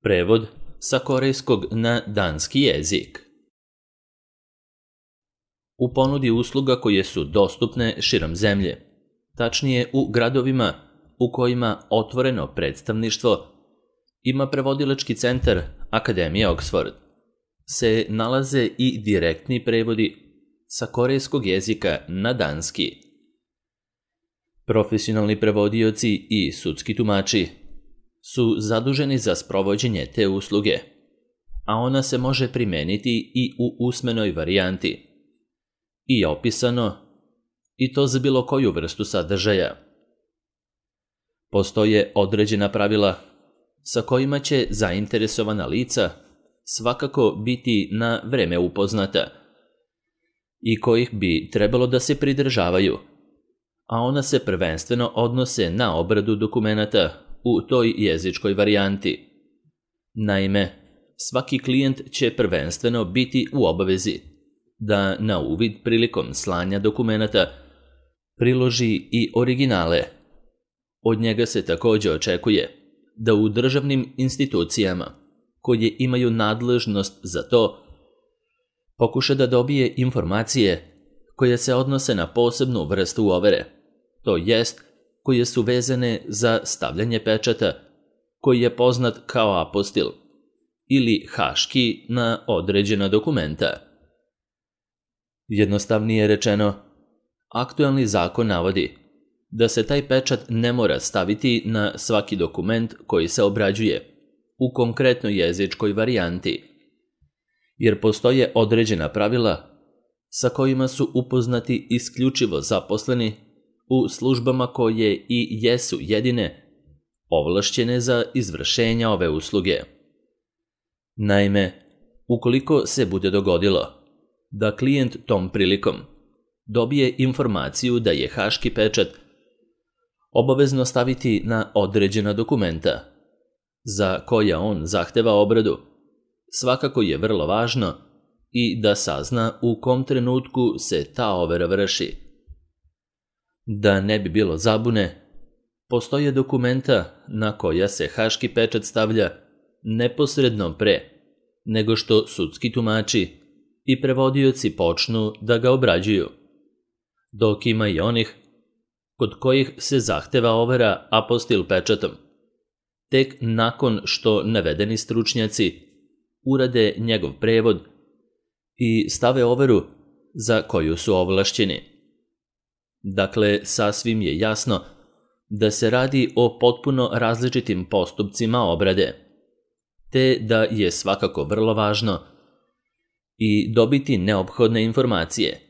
Prevod sa korejskog na danski jezik. U ponudi usluga koje su dostupne širom zemlje, tačnije u gradovima u kojima otvoreno predstavništvo ima prevodilački centar Akademije Oxford, se nalaze i direktni prevodi sa korejskog jezika na danski. Profesionalni prevodioci i sudski tumači su zaduženi za sprovođenje te usluge, a ona se može primeniti i u usmenoj varijanti, i opisano, i to za bilo koju vrstu sadržaja. Postoje određena pravila sa kojima će zainteresovana lica svakako biti na vreme upoznata i kojih bi trebalo da se pridržavaju, a ona se prvenstveno odnose na obradu dokumenata u toj jezičkoj varijanti. Naime, svaki klijent će prvenstveno biti u obavezi da na uvid prilikom slanja dokumenata priloži i originale. Od njega se također očekuje da u državnim institucijama koje imaju nadležnost za to pokuša da dobije informacije koje se odnose na posebnu vrstu overe, to jest koje su vezane za stavljanje pečata koji je poznat kao apostil ili haški na određena dokumenta. Jednostavnije rečeno, aktuelni zakon navodi da se taj pečat ne mora staviti na svaki dokument koji se obrađuje u konkretnoj jezičkoj varijanti, jer postoje određena pravila sa kojima su upoznati isključivo zaposleni u službama koje i jesu jedine ovlašćene za izvršenje ove usluge. Naime, ukoliko se bude dogodilo da klijent tom prilikom dobije informaciju da je haški pečat obavezno staviti na određena dokumenta za koja on zahteva obradu, svakako je vrlo važno i da sazna u kom trenutku se ta overa vrši. Da ne bi bilo zabune, postoje dokumenta na koja se haški pečat stavlja neposredno pre nego što sudski tumači i prevodioci počnu da ga obrađuju, dok ima i onih kod kojih se zahteva overa apostil pečatom, tek nakon što navedeni stručnjaci urade njegov prevod i stave overu za koju su ovlašćeni. Dakle, sasvim je jasno da se radi o potpuno različitim postupcima obrade, te da je svakako vrlo važno i dobiti neophodne informacije,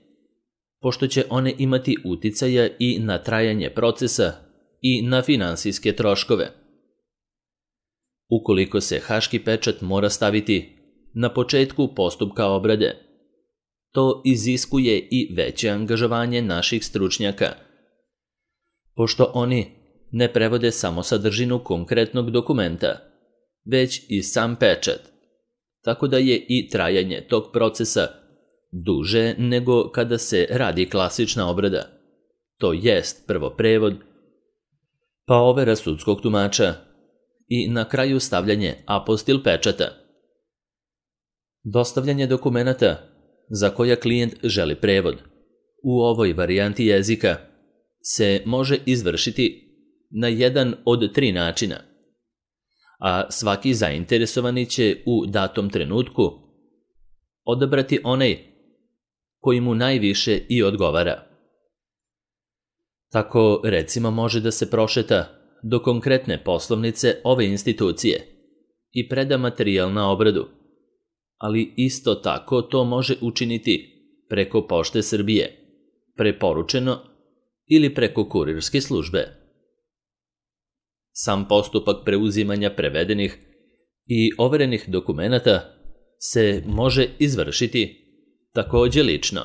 pošto će one imati uticaja i na trajanje procesa i na finansijske troškove. Ukoliko se haški pečat mora staviti na početku postupka obrade, to iziskuje i veće angažovanje naših stručnjaka, pošto oni ne prevode samo sadržinu konkretnog dokumenta, već i sam pečat, tako da je i trajanje tog procesa duže nego kada se radi klasična obrada, to jest prvo prevod, pa overa sudskog tumača i na kraju stavljanje apostil pečata. Dostavljanje dokumenata za koja klijent želi prevod u ovoj varijanti jezika se može izvršiti na jedan od 3 načina, a svaki zainteresovani će u datom trenutku odabrati onaj koji mu najviše i odgovara. Tako, recimo, može da se prošeta do konkretne poslovnice ove institucije i preda materijal na obradu, ali isto tako to može učiniti preko Pošte Srbije, preporučeno ili preko kurirske službe. Sam postupak preuzimanja prevedenih i overenih dokumenata se može izvršiti također lično,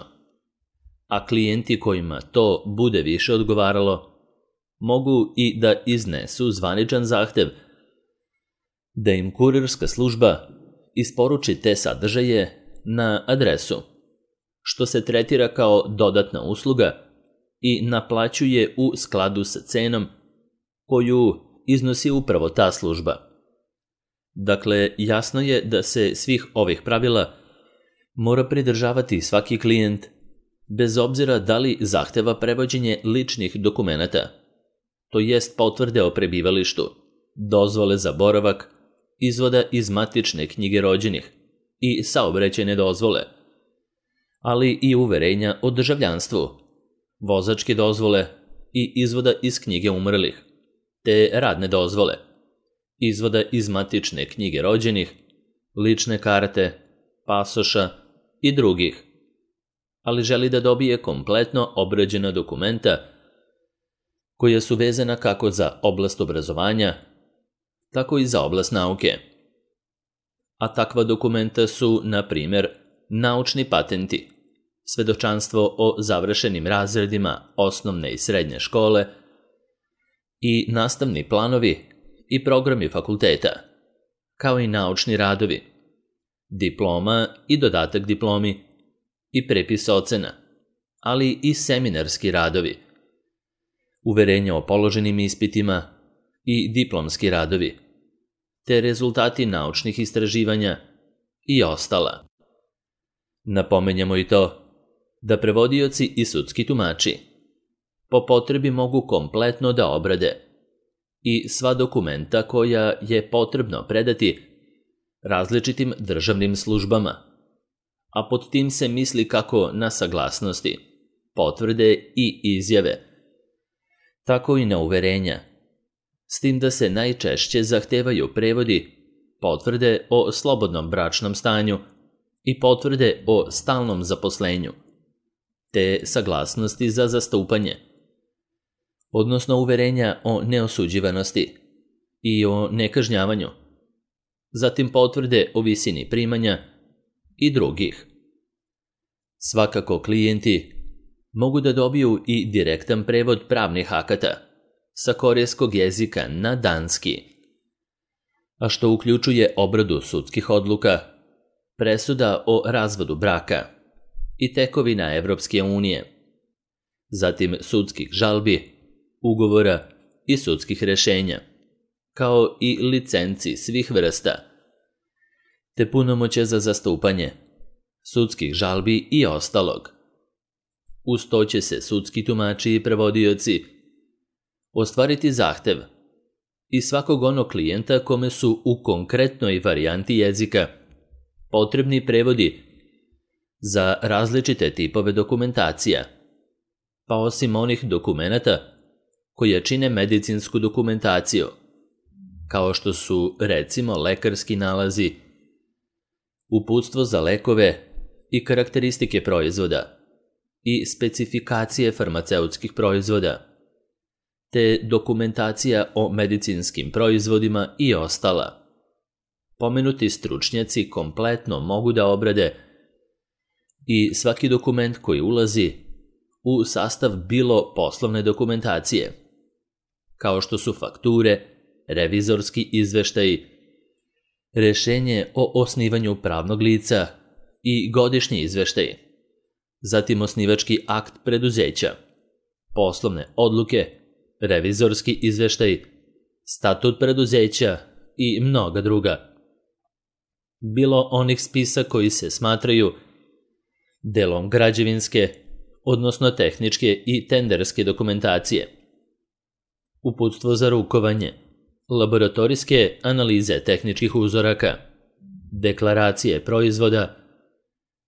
a klijenti kojima to bude više odgovaralo mogu i da iznesu zvaničan zahtev da im kurirska služba isporuči te sadržaje na adresu, što se tretira kao dodatna usluga i naplaćuje u skladu sa cenom koju iznosi upravo ta služba. Dakle, jasno je da se svih ovih pravila mora pridržavati svaki klijent, bez obzira da li zahteva prevođenje ličnih dokumenata, to jest potvrde o prebivalištu, dozvole za boravak, izvoda iz matične knjige rođenih i saobraćajne dozvole, ali i uverenja o državljanstvu, vozačke dozvole i izvoda iz knjige umrlih, te radne dozvole, izvoda iz matične knjige rođenih, lične karte, pasoša i drugih, ali želi da dobije kompletno obrađena dokumenta koja su vezana kako za oblast obrazovanja, tako i za oblast nauke. A takva dokumenta su, na primjer, naučni patenti, svedočanstvo o završenim razredima osnovne i srednje škole i nastavni planovi i programi fakulteta, kao i naučni radovi, diploma i dodatak diplomi i prepis ocena, ali i seminarski radovi, uverenje o položenim ispitima i diplomski radovi, te rezultati naučnih istraživanja i ostala. Napomenjamo i to da prevodioci i sudski tumači po potrebi mogu kompletno da obrade i sva dokumenta koja je potrebno predati različitim državnim službama, a pod tim se misli kako na saglasnosti, potvrde i izjave, tako i na uverenja, s tim da se najčešće zahtevaju prevodi, potvrde o slobodnom bračnom stanju i potvrde o stalnom zaposlenju, te saglasnosti za zastupanje, odnosno uverenja o neosuđivanosti i o nekažnjavanju, zatim potvrde o visini primanja i drugih. Svakako klijenti mogu da dobiju i direktan prevod pravnih akata sa korejskog jezika na danski, a što uključuje obradu sudskih odluka, presuda o razvodu braka i tekovina Evropske unije, zatim sudskih žalbi, ugovora i sudskih rešenja, kao i licenci svih vrsta, te punomoćja za zastupanje, sudskih žalbi i ostalog. Uz to će se sudski tumači i prevodioci ostvariti zahtev i svakog onog klijenta kome su u konkretnoj varijanti jezika potrebni prevodi za različite tipove dokumentacija, pa osim onih dokumenata koje čine medicinsku dokumentaciju, kao što su recimo lekarski nalazi, uputstvo za lekove i karakteristike proizvoda i specifikacije farmaceutskih proizvoda, te dokumentacija o medicinskim proizvodima i ostala. Pomenuti stručnjaci kompletno mogu da obrade i svaki dokument koji ulazi u sastav bilo poslovne dokumentacije, kao što su fakture, revizorski izveštaji, rešenje o osnivanju pravnog lica i godišnji izveštaj, zatim osnivački akt preduzeća, poslovne odluke, revizorski izveštaj, statut preduzeća i mnoga druga. Bilo onih spisa koji se smatraju delom građevinske, odnosno tehničke i tenderske dokumentacije, uputstvo za rukovanje, laboratorijske analize tehničkih uzoraka, deklaracije proizvoda,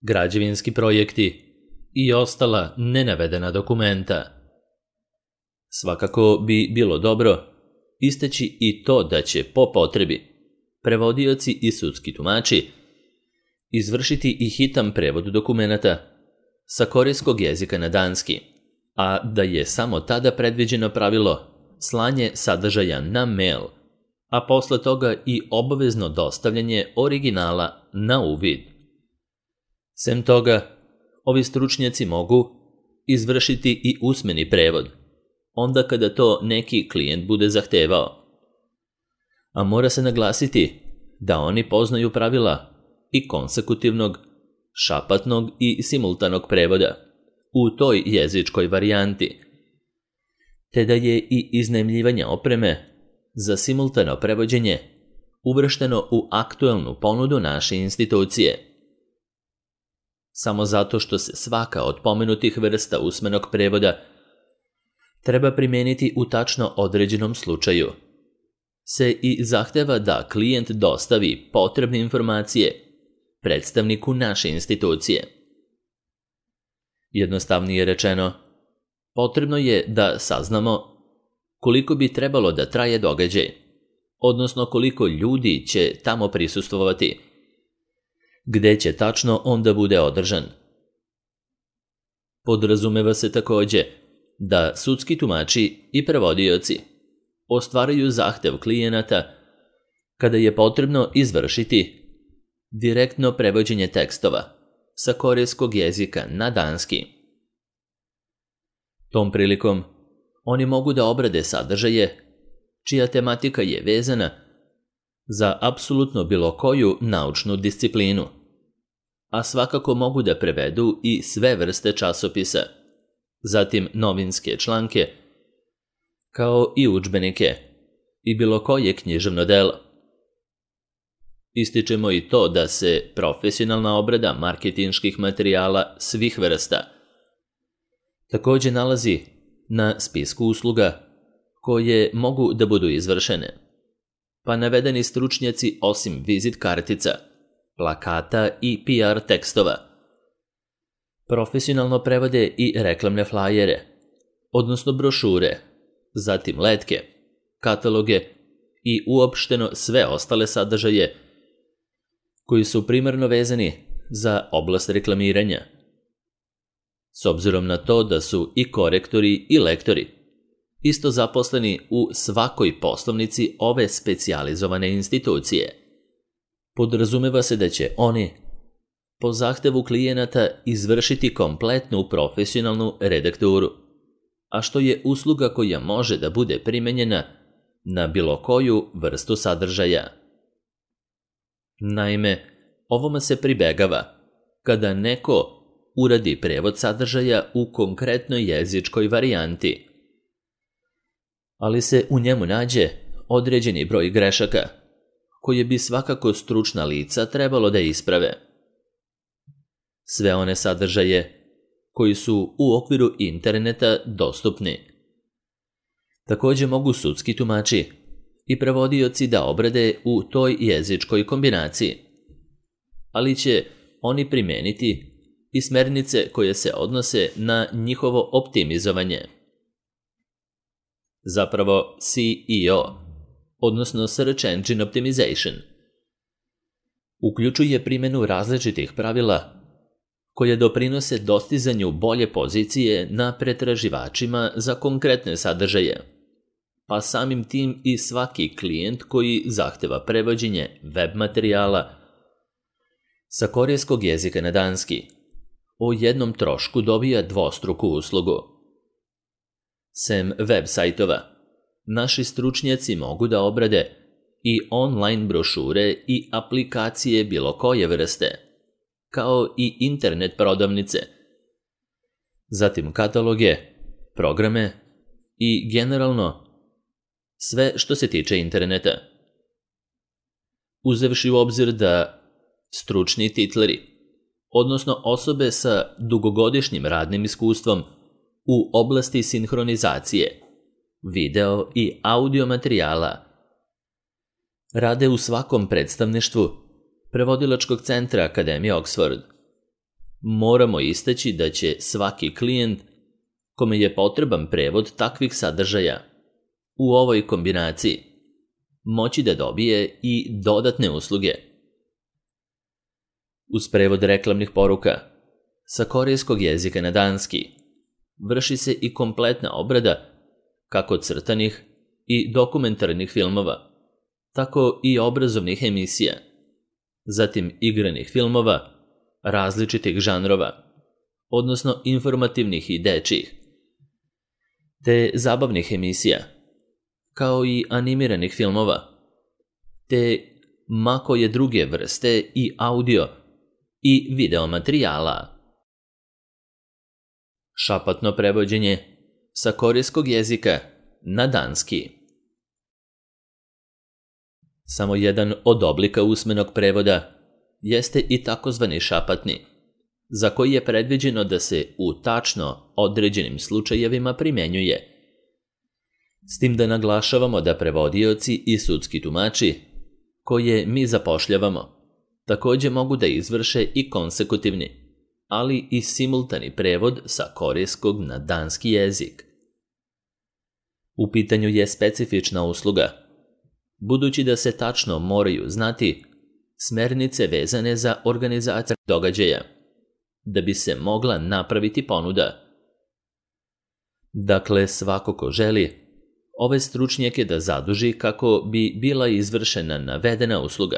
građevinski projekti i ostala nenavedena dokumenta. Svakako bi bilo dobro istaći i to da će po potrebi prevodioci i sudski tumači izvršiti i hitan prevod dokumenata sa korejskog jezika na danski, a da je samo tada predviđeno pravilo slanje sadržaja na mail, a posle toga i obavezno dostavljanje originala na uvid. Sem toga, ovi stručnjaci mogu izvršiti i usmeni prevod, onda kada to neki klijent bude zahtevao. A mora se naglasiti da oni poznaju pravila i konsekutivnog, šapatnog i simultanog prevoda u toj jezičkoj varijanti, te da je i iznajmljivanje opreme za simultano prevođenje uvršteno u aktuelnu ponudu naše institucije. Samo zato što se svaka od pomenutih vrsta usmenog prevoda treba primijeniti u tačno određenom slučaju, se i zahteva da klijent dostavi potrebne informacije predstavniku naše institucije. Jednostavnije rečeno, potrebno je da saznamo koliko bi trebalo da traje događaj, odnosno koliko ljudi će tamo prisustvovati, gde će tačno on da bude održan. Podrazumeva se takođe da sudski tumači i prevodioci ostvaruju zahtev klijenata kada je potrebno izvršiti direktno prevođenje tekstova sa korejskog jezika na danski. Tom prilikom oni mogu da obrade sadržaje čija tematika je vezana za apsolutno bilo koju naučnu disciplinu, a svakako mogu da prevedu i sve vrste časopisa, zatim novinske članke, kao i udžbenike i bilo koje književno delo. Ističemo i to da se profesionalna obrada marketinških materijala svih vrsta takođe nalazi na spisku usluga koje mogu da budu izvršene, pa navedeni stručnjaci osim vizit kartica, plakata i PR tekstova profesionalno prevode i reklamne flajere, odnosno brošure, zatim letke, kataloge i uopšteno sve ostale sadržaje koji su primarno vezani za oblast reklamiranja. S obzirom na to da su i korektori i lektori isto zaposleni u svakoj poslovnici ove specijalizovane institucije, podrazumeva se da će oni po zahtevu klijenata izvršiti kompletnu profesionalnu redakturu, a što je usluga koja može da bude primenjena na bilo koju vrstu sadržaja. Naime, ovome se pribegava kada neko uradi prevod sadržaja u konkretnoj jezičkoj varijanti, ali se u njemu nađe određeni broj grešaka koje bi svakako stručna lica trebalo da isprave. Sve one sadržaje koji su u okviru interneta dostupni takođe mogu sudski tumači i prevodioci da obrade u toj jezičkoj kombinaciji, ali će oni primeniti i smernice koje se odnose na njihovo optimizovanje. Zapravo SEO, odnosno Search Engine Optimization, uključuje primjenu različitih pravila koje doprinose dostizanju bolje pozicije na pretraživačima za konkretne sadržaje, pa samim tim i svaki klijent koji zahteva prevođenje web materijala sa korejskog jezika na danski o jednom trošku dobija dvostruku uslugu. Sem web sajtova, naši stručnjaci mogu da obrade i online brošure i aplikacije bilo koje vrste, kao i internet prodavnice, zatim kataloge, programe i generalno sve što se tiče interneta. Uzevši u obzir da stručni titleri, odnosno osobe sa dugogodišnjim radnim iskustvom u oblasti sinhronizacije, video i audio materijala, rade u svakom predstavništvu Prevodilačkog centra Akademije Oxford, moramo istaći da će svaki klijent kome je potreban prevod takvih sadržaja u ovoj kombinaciji moći da dobije i dodatne usluge. Uz prevod reklamnih poruka sa korejskog jezika na danski vrši se i kompletna obrada kako crtanih i dokumentarnih filmova, tako i obrazovnih emisija, zatim igranih filmova različitih žanrova, odnosno informativnih i dečjih, te zabavnih emisija, kao i animiranih filmova, te ma koje druge vrste i audio i video materijala. Šapatno prevođenje sa korejskog jezika na danski. Samo jedan od oblika usmenog prevoda jeste i takozvani šapatni, za koji je predviđeno da se u tačno određenim slučajevima primjenjuje. S tim da naglašavamo da prevodioci i sudski tumači, koje mi zapošljavamo, također mogu da izvrše i konsekutivni, ali i simultani prevod sa korejskog na danski jezik. U pitanju je specifična usluga, budući da se tačno moraju znati smernice vezane za organizaciju događaja, da bi se mogla napraviti ponuda. Dakle, svako ko želi ove stručnjake da zaduži kako bi bila izvršena navedena usluga,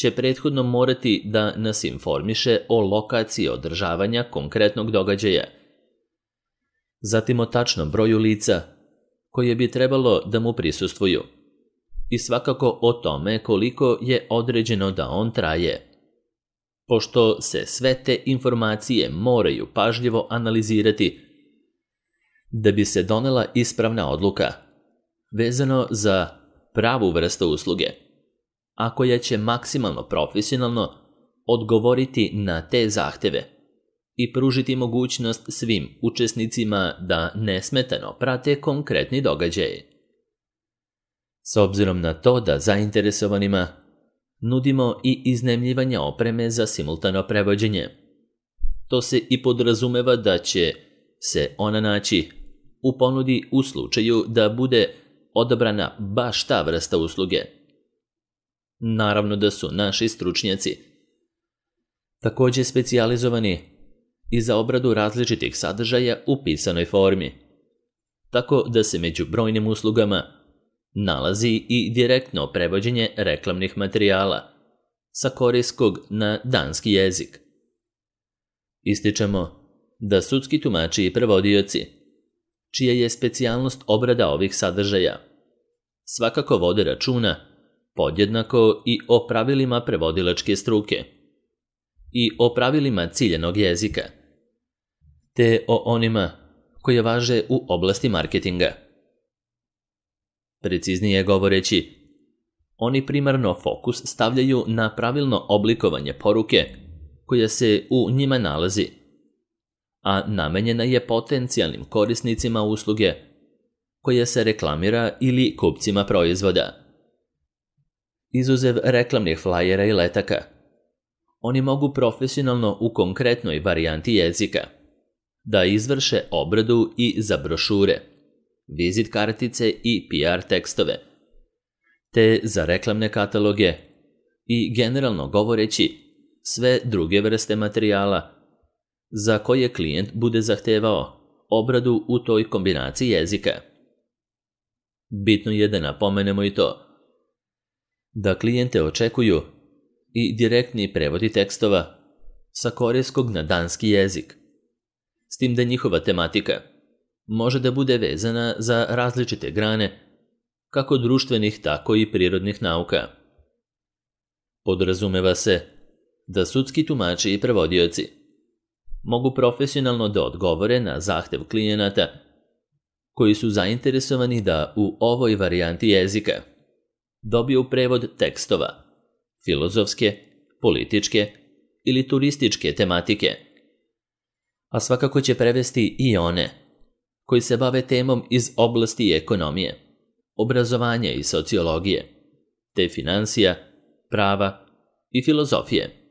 će prethodno morati da nas informiše o lokaciji održavanja konkretnog događaja, zatim o tačnom broju lica koje bi trebalo da mu prisustvuju i svakako o tome koliko je određeno da on traje, pošto se sve te informacije moraju pažljivo analizirati da bi se donela ispravna odluka vezano za pravu vrstu usluge, a koja će maksimalno profesionalno odgovoriti na te zahteve i pružiti mogućnost svim učesnicima da nesmetano prate konkretni događaj. S obzirom na to da zainteresovanima nudimo i iznajmljivanje opreme za simultano prevođenje, to se i podrazumeva da će se ona naći u ponudi u slučaju da bude odabrana baš ta vrsta usluge. Naravno da su naši stručnjaci također specijalizovani i za obradu različitih sadržaja u pisanoj formi, tako da se među brojnim uslugama nalazi i direktno prevođenje reklamnih materijala sa korejskog na danski jezik. Ističemo da sudski tumači i prevodioci, čija je specijalnost obrada ovih sadržaja, svakako vode računa podjednako i o pravilima prevodilačke struke i o pravilima ciljanog jezika, te o onima koje važe u oblasti marketinga. Preciznije govoreći, oni primarno fokus stavljaju na pravilno oblikovanje poruke koja se u njima nalazi, a namenjena je potencijalnim korisnicima usluge koja se reklamira ili kupcima proizvoda. Izuzev reklamnih flajera i letaka, oni mogu profesionalno u konkretnoj varijanti jezika da izvrše obradu i za brošure, vizit kartice i PR tekstove, te za reklamne kataloge i generalno govoreći sve druge vrste materijala za koje klijent bude zahtevao obradu u toj kombinaciji jezika. Bitno je da napomenemo i to da klijente očekuju i direktni prevodi tekstova sa korejskog na danski jezik, s tim da njihova tematika može da bude vezana za različite grane, kako društvenih, tako i prirodnih nauka. Podrazumeva se da sudski tumači i prevodioci mogu profesionalno da odgovore na zahtev klijenata koji su zainteresovani da u ovoj varijanti jezika dobiju prevod tekstova, filozofske, političke ili turističke tematike, a svakako će prevesti i one koji se bave temom iz oblasti ekonomije, obrazovanja i sociologije, te financija, prava i filozofije.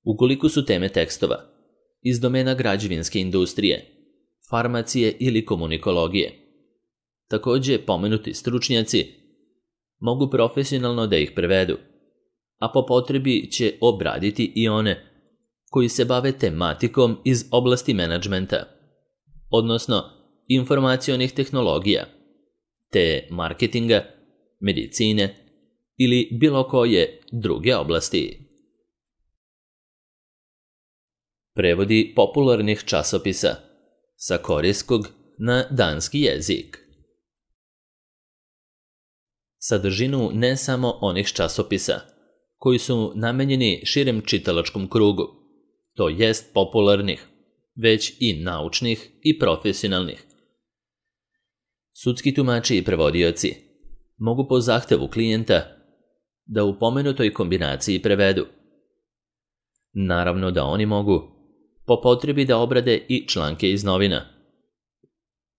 Ukoliko su teme tekstova iz domena građevinske industrije, farmacije ili komunikologije, također pomenuti stručnjaci mogu profesionalno da ih prevedu, a po potrebi će obraditi i one koji se bave tematikom iz oblasti menadžmenta, odnosno informacionih tehnologija, te marketinga, medicine ili bilo koje druge oblasti. Prevodi popularnih časopisa sa korejskog na danski jezik. Sadržinu ne samo onih časopisa koji su namenjeni širem čitalačkom krugu, to jest popularnih, već i naučnih i profesionalnih. Sudski tumači i prevodioci mogu po zahtevu klijenta da u pomenutoj kombinaciji prevedu. Naravno da oni mogu po potrebi da obrade i članke iz novina,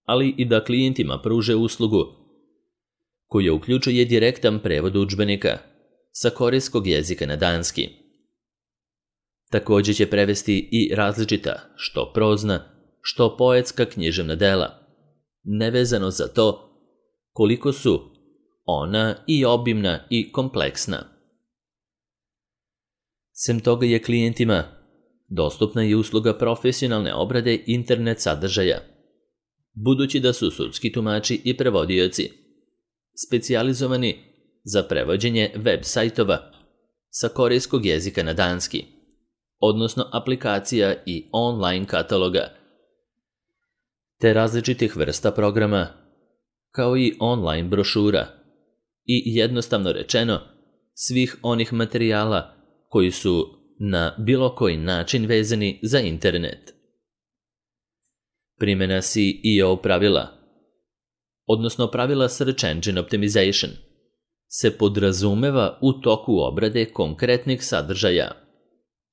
ali i da klijentima pruže uslugu koja uključuje direktan prevod udžbenika sa korejskog jezika na danski. Također će prevesti i različita, što prozna, što poetska književna dela, nevezano za to koliko su ona i obimna i kompleksna. Sem toga je klijentima dostupna i usluga profesionalne obrade internet sadržaja, budući da su sudski tumači i prevodioci specijalizovani za prevođenje web sajtova sa korejskog jezika na danski, odnosno aplikacija i online kataloga, te različitih vrsta programa, kao i online brošura i jednostavno rečeno svih onih materijala koji su na bilo koji način vezani za internet. Primjena SEO pravila, odnosno pravila Search Engine Optimization, se podrazumeva u toku obrade konkretnih sadržaja,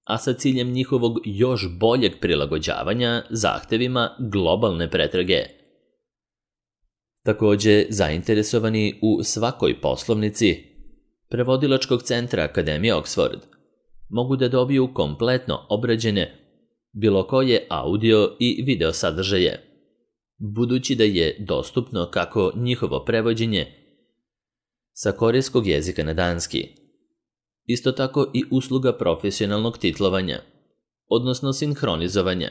a sa ciljem njihovog još boljeg prilagođavanja zahtevima globalne pretrage. Također, zainteresovani u svakoj poslovnici Prevodilačkog centra Akademije Oxford mogu da dobiju kompletno obrađene bilo koje audio i video sadržaje, budući da je dostupno kako njihovo prevođenje sa korejskog jezika na danski, isto tako i usluga profesionalnog titlovanja, odnosno sinhronizovanja.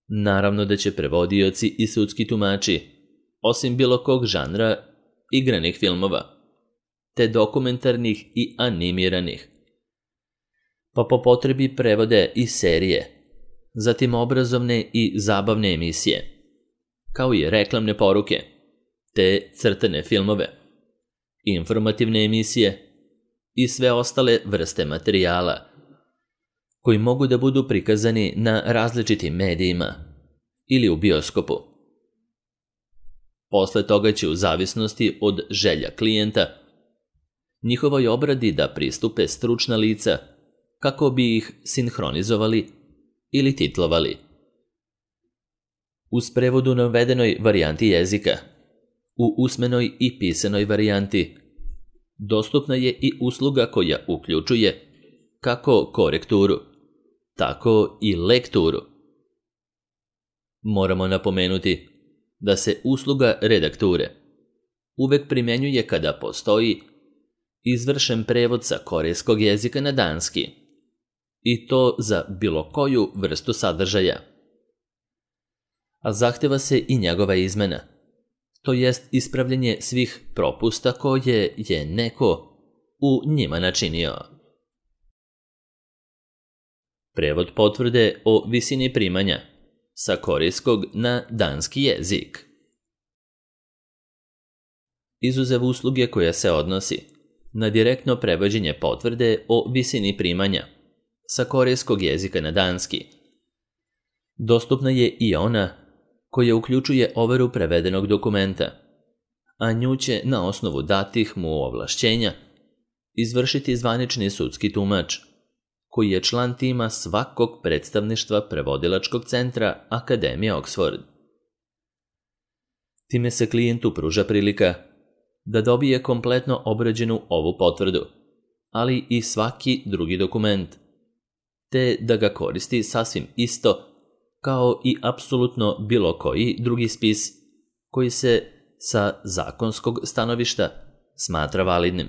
Naravno da će prevodioci i sudski tumači, osim bilo kog žanra, igranih filmova, te dokumentarnih i animiranih, pa po potrebi prevode i serije, zatim obrazovne i zabavne emisije, kao i reklamne poruke, te crtane filmove, informativne emisije i sve ostale vrste materijala koji mogu da budu prikazani na različitim medijima ili u bioskopu. Posle toga će u zavisnosti od želja klijenta njihovoj obradi da pristupe stručna lica kako bi ih sinhronizovali ili titlovali. Uz prevod u navedenoj varijanti jezika, u usmenoj i pisanoj varijanti, dostupna je i usluga koja uključuje kako korekturu, tako i lekturu. Moramo napomenuti da se usluga redakture uvek primjenjuje kada postoji izvršen prevod sa korejskog jezika na danski, i to za bilo koju vrstu sadržaja. A zahteva se i njegova izmena, to jest ispravljanje svih propusta koje je neko u njima načinio. Prevod potvrde o visini primanja sa korejskog na danski jezik. Izuzev usluge koja se odnosi na direktno prevođenje potvrde o visini primanja sa korejskog jezika na danski, dostupna je i ona koja uključuje overu prevedenog dokumenta, a nju će na osnovu datih mu ovlašćenja izvršiti zvanični sudski tumač, koji je član tima svakog predstavništva Prevodilačkog centra Akademije Oxford. Time se klijentu pruža prilika da dobije kompletno obrađenu ovu potvrdu, ali i svaki drugi dokument, te da ga koristi sasvim isto kao i apsolutno bilo koji drugi spis koji se sa zakonskog stanovišta smatra validnim.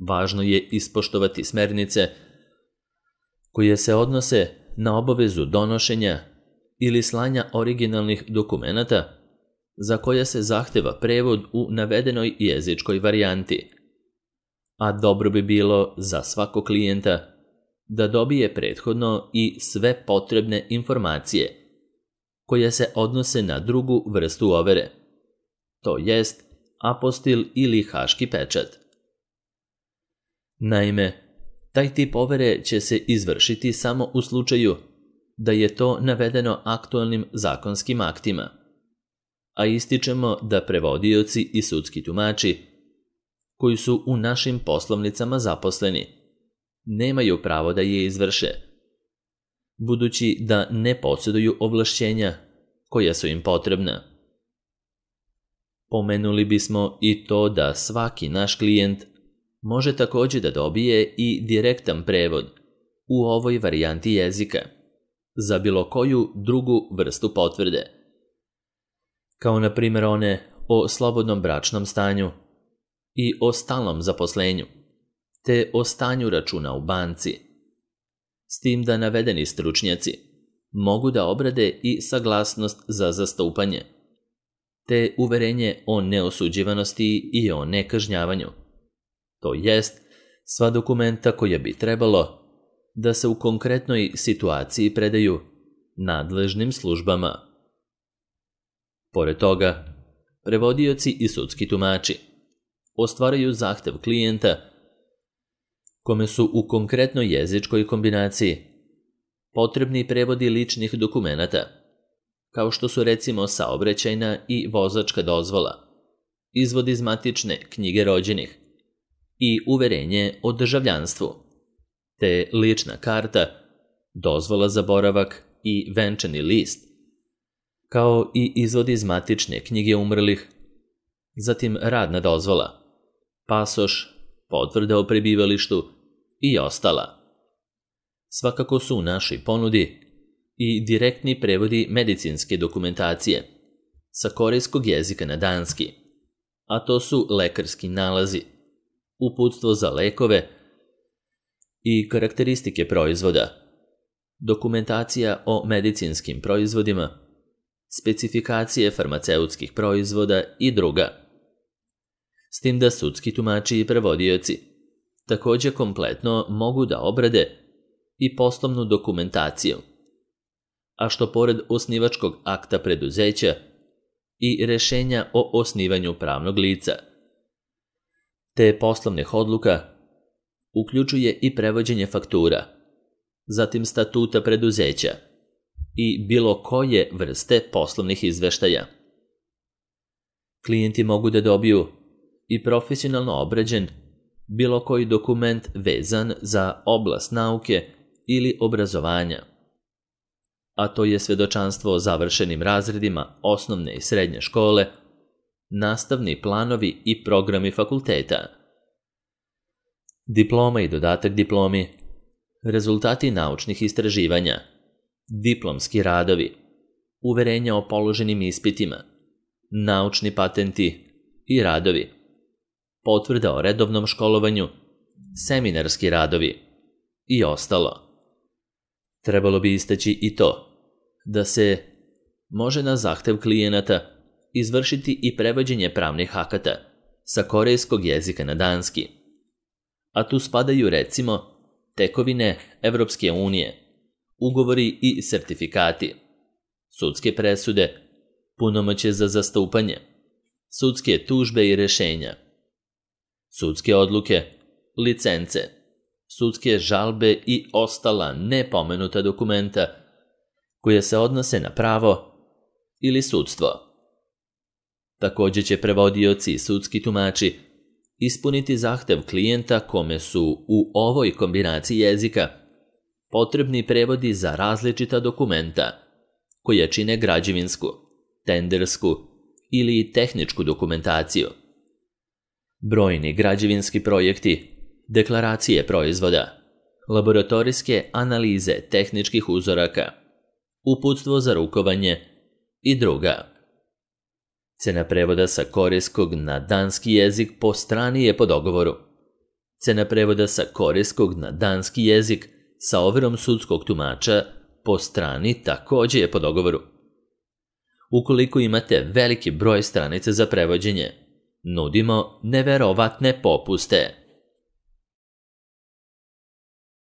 Važno je ispoštovati smernice koje se odnose na obavezu donošenja ili slanja originalnih dokumenata za koje se zahteva prevod u navedenoj jezičkoj varijanti, a dobro bi bilo za svakog klijenta da dobije prethodno i sve potrebne informacije koje se odnose na drugu vrstu overe, to jest apostil ili haški pečat. Naime, taj tip overe će se izvršiti samo u slučaju da je to navedeno aktualnim zakonskim aktima, a ističemo da prevodioci i sudski tumači, koji su u našim poslovnicama zaposleni, nemaju pravo da je izvrše, budući da ne posjeduju ovlašćenja koja su im potrebna. Pomenuli bismo i to da svaki naš klijent može također da dobije i direktan prevod u ovoj varijanti jezika za bilo koju drugu vrstu potvrde, kao na primjer one o slobodnom bračnom stanju i o stalnom zaposlenju, te o stanju računa u banci, s tim da navedeni stručnjaci mogu da obrade i saglasnost za zastupanje, te uverenje o neosuđivanosti i o nekažnjavanju, to jest sva dokumenta koja bi trebalo da se u konkretnoj situaciji predaju nadležnim službama. Pored toga, prevodioci i sudski tumači ostvaraju zahtev klijenta kome su u konkretnoj jezičkoj kombinaciji potrebni prevodi ličnih dokumenata, kao što su recimo saobraćajna i vozačka dozvola, izvod iz matične knjige rođenih i uverenje o državljanstvu, te lična karta, dozvola za boravak i venčani list, kao i izvod iz matične knjige umrlih, zatim radna dozvola, pasoš, potvrda o prebivalištu i ostala. Svakako su u našoj ponudi i direktni prevodi medicinske dokumentacije sa korejskog jezika na danski, a to su lekarski nalazi, uputstvo za lekove i karakteristike proizvoda, dokumentacija o medicinskim proizvodima, specifikacije farmaceutskih proizvoda i druga. S tim da sudski tumači i prevodioci također kompletno mogu da obrade i poslovnu dokumentaciju, a što pored osnivačkog akta preduzeća i rješenja o osnivanju pravnog lica, te poslovnih odluka, uključuje i prevođenje faktura, zatim statuta preduzeća i bilo koje vrste poslovnih izveštaja. Klijenti mogu da dobiju i profesionalno obrađen bilo koji dokument vezan za oblast nauke ili obrazovanja, a to je svjedočanstvo o završenim razredima osnovne i srednje škole, nastavni planovi i programi fakulteta, diploma i dodatak diplomi, rezultati naučnih istraživanja, diplomski radovi, uverenja o položenim ispitima, naučni patenti i radovi, potvrda o redovnom školovanju, seminarski radovi i ostalo. Trebalo bi istaći i to da se može na zahtev klijenata izvršiti i prevođenje pravnih akata sa korejskog jezika na danski, a tu spadaju recimo tekovine Evropske unije, ugovori i sertifikati, sudske presude, punomoćje za zastupanje, sudske tužbe i rješenja, sudske odluke, licence, sudske žalbe i ostala nepomenuta dokumenta koje se odnose na pravo ili sudstvo. Također će prevodioci i sudski tumači ispuniti zahtev klijenta kome su u ovoj kombinaciji jezika potrebni prevodi za različita dokumenta koja čine građevinsku, tendersku ili tehničku dokumentaciju. Brojni građevinski projekti, deklaracije proizvoda, laboratorijske analize tehničkih uzoraka, uputstvo za rukovanje i druga. Cena prevoda sa korejskog na danski jezik po strani je po dogovoru. Cena prevoda sa korejskog na danski jezik sa overom sudskog tumača po strani također je po dogovoru. Ukoliko imate veliki broj stranica za prevođenje, nudimo neverovatne popuste.